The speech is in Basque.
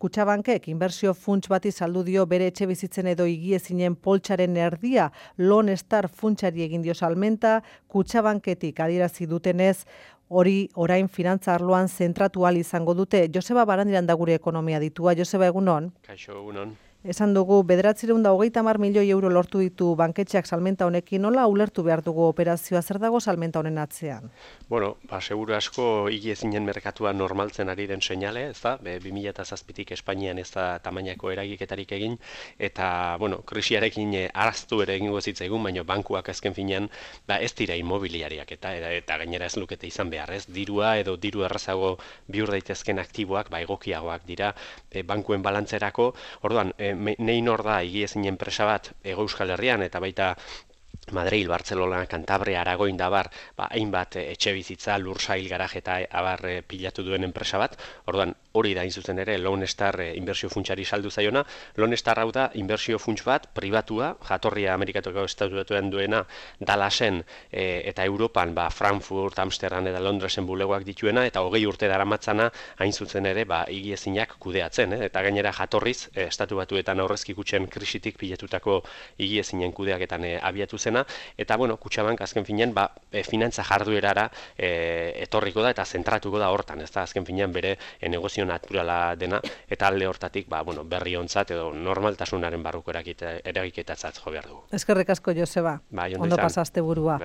Kutxabankek inbertsio funts bati saldu dio bere etxe bizitzen edo higiezinen poltsaren erdia Lone Star funtsari egin dio salmenta, Kutxabanketik adierazi dutenez, hori orain finantza arloan zentratu ahal izango dute. Joseba Barandiran da gure ekonomia ditua. Joseba, egunon? Kaixo, egunon. Esan dugu, 930 milioi euro lortu ditu banketxeak salmenta honekin, nola ulertu behar dugu operazioa, zer dago salmenta honen atzean? Bueno, seguru asko higiezinen merkatua normaltzen ari den seinale, ez da? 2007tik Espainian ez da tamainako eragiketarik egin, eta, bueno, krisiarekin araztu ere egingo zitzaigun, baina bankuak azken finean, ez dira inmobiliariak, eta gainera ez lukete izan behar, ez? Dirua edo diru errazago bihur daitezken aktiboak, egokiagoak dira bankuen balantzerako, orduan, nein hor da higiezinen enpresa bat Hego Euskal Herrian eta baita Madrid, Barcelona, Cantabria, Aragoin da bar, hainbat etxe bizitza, lursail, garaje eta abar pilatu duen enpresa bat. Orduan, hori da zuzen ere Lone Star inbertsio funtsari saldu zaiona. Lone Star hau da inbertsio funts bat pribatua, jatorria Amerikatuko estatutuan duena, Dallasen eta Europan, Frankfurt, Amsterdam eta Londresen bulegoak dituena eta 20 urte daramatzana hain zuzen ere higiezinak kudeatzen, eta gainera jatorriz estatu batuetan aurrezki kutxen krisitik pilatutako higiezinen kudeaketan abiatu zen. Eta, bueno, Kutxabank azken finean, finantza jarduerara etorriko da eta zentratuko da hortan, ez da, azken finean bere negozio naturala dena, eta alde hortatik, berri ontzat edo normaltasunaren barruko eragiketatzat jo behar dugu. Eskerrik asko, Joseba. Ondo Ondo pasaste burua.